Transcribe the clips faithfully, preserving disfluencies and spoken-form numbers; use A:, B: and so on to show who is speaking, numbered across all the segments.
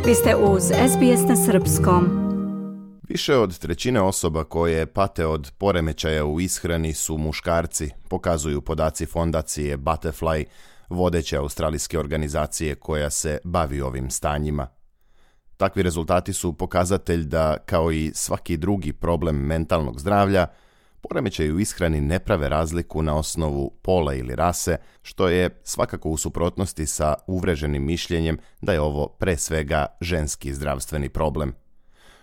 A: Vi ste uz S B S na srpskom.
B: Više od trećine osoba koje pate od poremećaja u ishrani su muškarci, pokazuju podaci fondacije Butterfly, vodeće australijske organizacije koja se bavi ovim stanjima. Takvi rezultati su pokazatelj da, kao i svaki drugi problem mentalnog zdravlja, poremećaji u ishrani ne prave razliku na osnovu pola ili rase, što je svakako u suprotnosti sa uvreženim mišljenjem da je ovo pre svega ženski zdravstveni problem.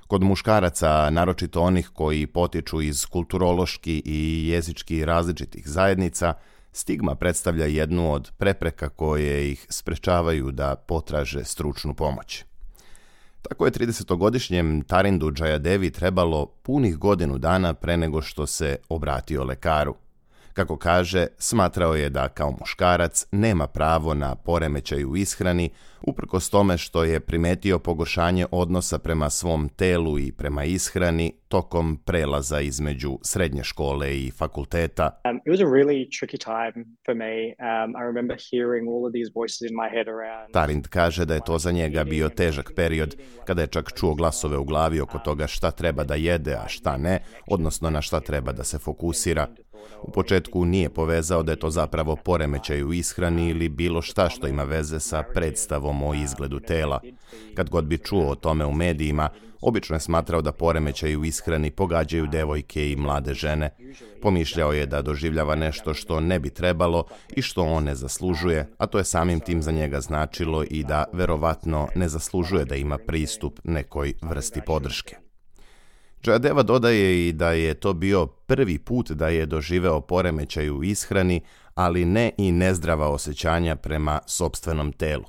B: Kod muškaraca, naročito onih koji potiču iz kulturološki i jezički različitih zajednica, stigma predstavlja jednu od prepreka koje ih sprečavaju da potraže stručnu pomoć. Tako je tridesetogodišnjem Tarindu Jayadevi trebalo punih godinu dana pre nego što se obratio lekaru. Kako kaže, smatrao je da kao muškarac nema pravo na poremećaj u ishrani, uprkos tome što je primetio pogoršanje odnosa prema svom telu i prema ishrani tokom prelaza između srednje škole i fakulteta.
C: Um, it was a really tricky time for me. Um, I remember hearing all of these voices in my head around.
B: Tarind kaže da je to za njega bio težak period, kada je čak čuo glasove u glavi oko toga šta treba da jede, a šta ne, odnosno na šta treba da se fokusira. U početku nije povezao da je to zapravo poremećaj u ishrani ili bilo šta što ima veze sa predstavom o izgledu tela. Kad god bi čuo o tome u medijima, obično je smatrao da poremećaji u ishrani pogađaju devojke i mlade žene. Pomišljao je da doživljava nešto što ne bi trebalo i što on ne zaslužuje, a to je samim tim za njega značilo i da verovatno ne zaslužuje da ima pristup nekoj vrsti podrške. Jayadeva dodaje i da je to bio prvi put da je doživeo poremećaj u ishrani, ali ne i nezdrava osjećanja prema sopstvenom telu.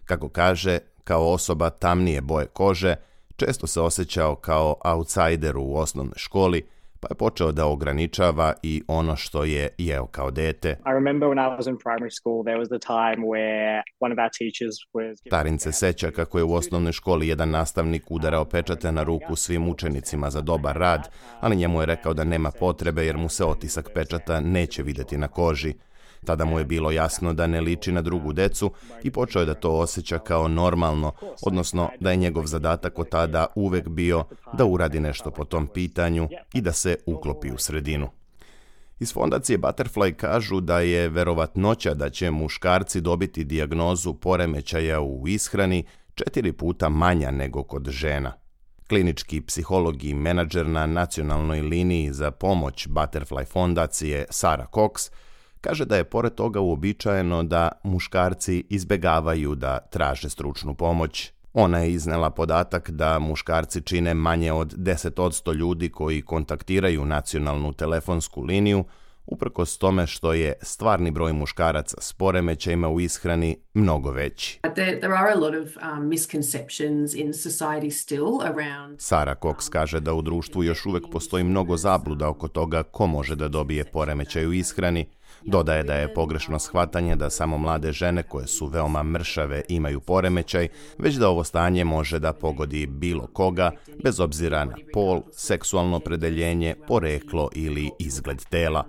B: Kako kaže, kao osoba tamnije boje kože, često se osjećao kao outsider u osnovnoj školi, pa je počeo da ograničava i ono što je jeo kao dete.
C: I remember when I was in primary school, there was the time where one of our teachers was...
B: Tarin se seća kako je u osnovnoj školi jedan nastavnik udarao pečate na ruku svim učenicima za dobar rad, ali njemu je rekao da nema potrebe jer mu se otisak pečata neće vidjeti na koži. Tada mu je bilo jasno da ne liči na drugu decu i počeo je da to osjeća kao normalno, odnosno da je njegov zadatak od tada uvek bio da uradi nešto po tom pitanju i da se uklopi u sredinu. Iz fondacije Butterfly kažu da je verovatnoća da će muškarci dobiti dijagnozu poremećaja u ishrani četiri puta manja nego kod žena. Klinički psiholog i menadžer na nacionalnoj liniji za pomoć Butterfly fondacije Sarah Cox kaže da je pored toga uobičajeno da muškarci izbegavaju da traže stručnu pomoć. Ona je iznela podatak da muškarci čine manje od deset posto ljudi koji kontaktiraju nacionalnu telefonsku liniju, uprkos tome što je stvarni broj muškaraca s poremećajima u ishrani mnogo veći.
D: There, there are a lot of um, misconceptions in society still around...
B: Sarah Cox kaže da u društvu još uvek postoji mnogo zabluda oko toga ko može da dobije poremećaj u ishrani. Dodaje da je pogrešno shvatanje da samo mlade žene koje su veoma mršave imaju poremećaj, već da ovo stanje može da pogodi bilo koga, bez obzira na pol, seksualno opredeljenje, poreklo ili izgled tela.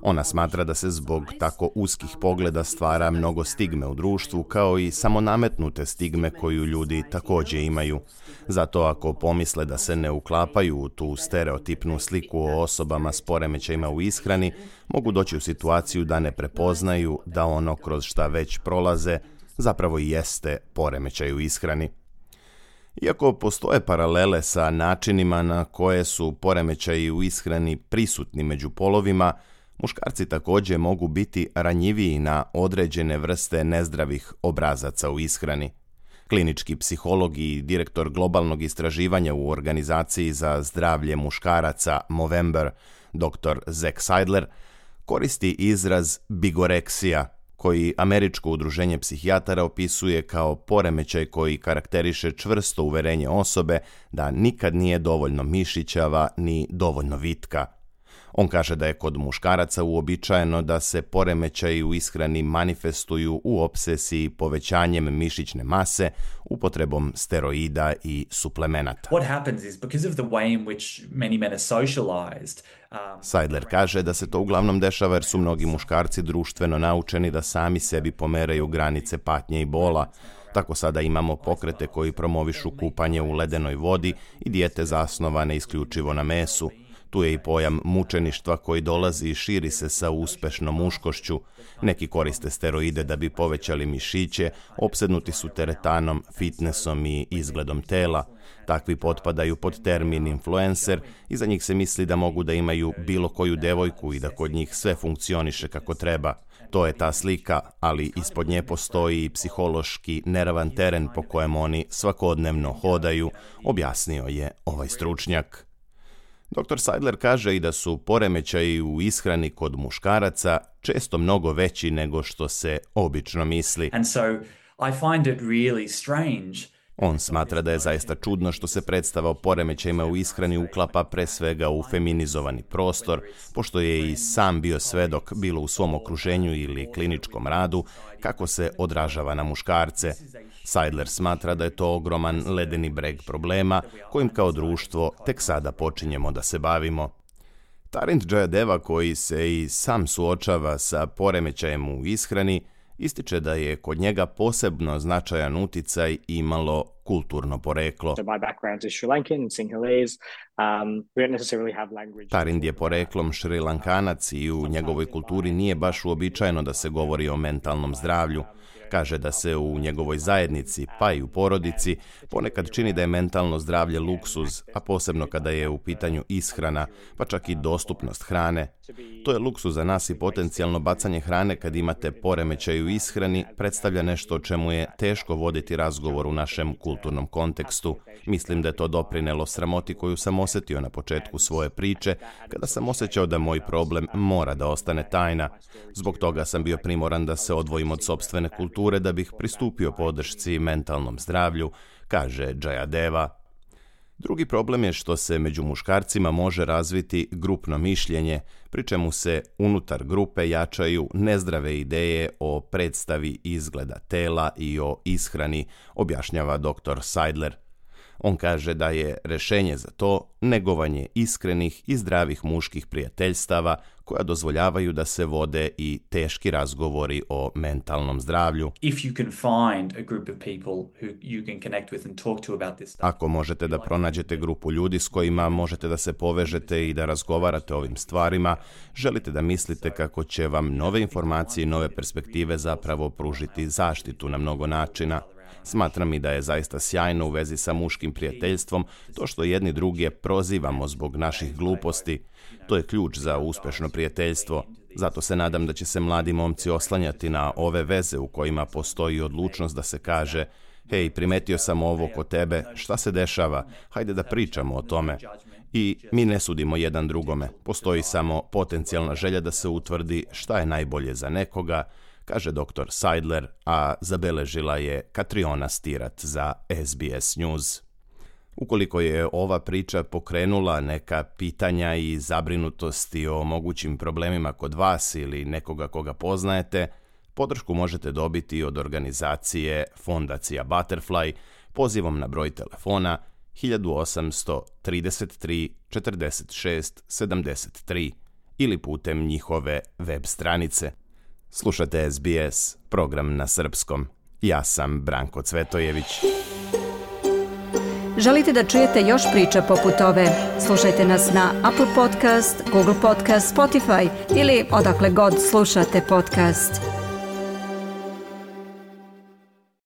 B: Ona smatra da se zbog tako uskih pogleda stvara mnogo stigme u društvu, kao i samonametnute stigme koju ljudi također imaju. Zato ako pomisle da se ne uklapaju u tu stereotipnu sliku o osobama s poremećajima u ishrani, mogu doći u situaciju da ne prepoznaju da ono kroz šta već prolaze zapravo i jeste poremećaj u ishrani. Iako postoje paralele sa načinima na koje su poremećaji u ishrani prisutni među polovima, muškarci također mogu biti ranjiviji na određene vrste nezdravih obrazaca u ishrani. Klinički psiholog i direktor globalnog istraživanja u organizaciji za zdravlje muškaraca Movember, doktor Zach Seidler, koristi izraz bigoreksija, koji Američko udruženje psihijatara opisuje kao poremećaj koji karakteriše čvrsto uverenje osobe da nikad nije dovoljno mišićava ni dovoljno vitka. On kaže da je kod muškaraca uobičajeno da se poremećaji u ishrani manifestuju u opsesiji povećanjem mišićne mase, upotrebom steroida i suplemenata.
E: What happens is because of the way in which many men are socialized. Um,
B: Seidler kaže da se to uglavnom dešava jer su mnogi muškarci društveno naučeni da sami sebi pomeraju granice patnje i bola. Tako sada imamo pokrete koji promovišu kupanje u ledenoj vodi i dijete zasnovane isključivo na mesu. Tu je i pojam mučeništva koji dolazi i širi se sa uspešnom muškošću. Neki koriste steroide da bi povećali mišiće, opsednuti su teretanom, fitnessom i izgledom tela. Takvi potpadaju pod termin influencer i za njih se misli da mogu da imaju bilo koju devojku i da kod njih sve funkcioniše kako treba. To je ta slika, ali ispod nje postoji i psihološki neravan teren po kojem oni svakodnevno hodaju, objasnio je ovaj stručnjak. doktor Seidler kaže i da su poremećaji u ishrani kod muškaraca često mnogo veći nego što se obično misli.
E: And so I find it really strange.
B: On smatra da je zaista čudno što se predstava o poremećajima u ishrani uklapa pre svega u feminizovani prostor, pošto je i sam bio svedok, bilo u svom okruženju ili kliničkom radu, kako se odražava na muškarce. Seidler smatra da je to ogroman ledeni breg problema kojim kao društvo tek sada počinjemo da se bavimo. Tarind Jayadeva, koji se i sam suočava sa poremećajem u ishrani, ističe da je kod njega posebno značajan uticaj imalo kulturno poreklo. Tarind je poreklom Šrilankanac i u njegovoj kulturi nije baš uobičajeno da se govori o mentalnom zdravlju. Kaže da se u njegovoj zajednici, pa i u porodici, ponekad čini da je mentalno zdravlje luksuz, a posebno kada je u pitanju ishrana, pa čak i dostupnost hrane. To je luksuz za nas i potencijalno bacanje hrane kad imate poremećaj u ishrani predstavlja nešto o čemu je teško voditi razgovor u našem kulturnom kontekstu. Mislim da je to doprinelo sramoti koju sam osjetio na početku svoje priče, kada sam osjećao da moj problem mora da ostane tajna. Zbog toga sam bio primoran da se odvojim od sopstvene kulture da bih pristupio podršci mentalnom zdravlju, kaže Jayadeva. Drugi problem je što se među muškarcima može razviti grupno mišljenje, pri čemu se unutar grupe jačaju nezdrave ideje o predstavi izgleda tela i o ishrani, objašnjava doktor Seidler. On kaže da je rešenje za to negovanje iskrenih i zdravih muških prijateljstava koja dozvoljavaju da se vode i teški razgovori o mentalnom zdravlju. Ako možete da pronađete grupu ljudi s kojima možete da se povežete i da razgovarate o ovim stvarima, želite da mislite kako će vam nove informacije i nove perspektive zapravo pružiti zaštitu na mnogo načina. Smatram i da je zaista sjajno u vezi sa muškim prijateljstvom to što jedni druge prozivamo zbog naših gluposti. To je ključ za uspešno prijateljstvo. Zato se nadam da će se mladi momci oslanjati na ove veze u kojima postoji odlučnost da se kaže: hej, primetio sam ovo kod tebe, šta se dešava, hajde da pričamo o tome. I mi ne sudimo jedan drugome, postoji samo potencijalna želja da se utvrdi šta je najbolje za nekoga, kaže doktor Seidler, a zabeležila je Katriona Stirat za S B S News. Ukoliko je ova priča pokrenula neka pitanja i zabrinutosti o mogućim problemima kod vas ili nekoga koga poznajete, podršku možete dobiti od organizacije Fondacija Butterfly pozivom na broj telefona osam tri tri četrdeset šest sedamdeset tri ili putem njihove web stranice. Slušate S B S, program na srpskom. Ja sam Branko Cvetojević.
A: Želite da čujete još priča poput ove? Slušajte nas na Apple Podcast, Google Podcast, Spotify ili odakle god slušate podcast.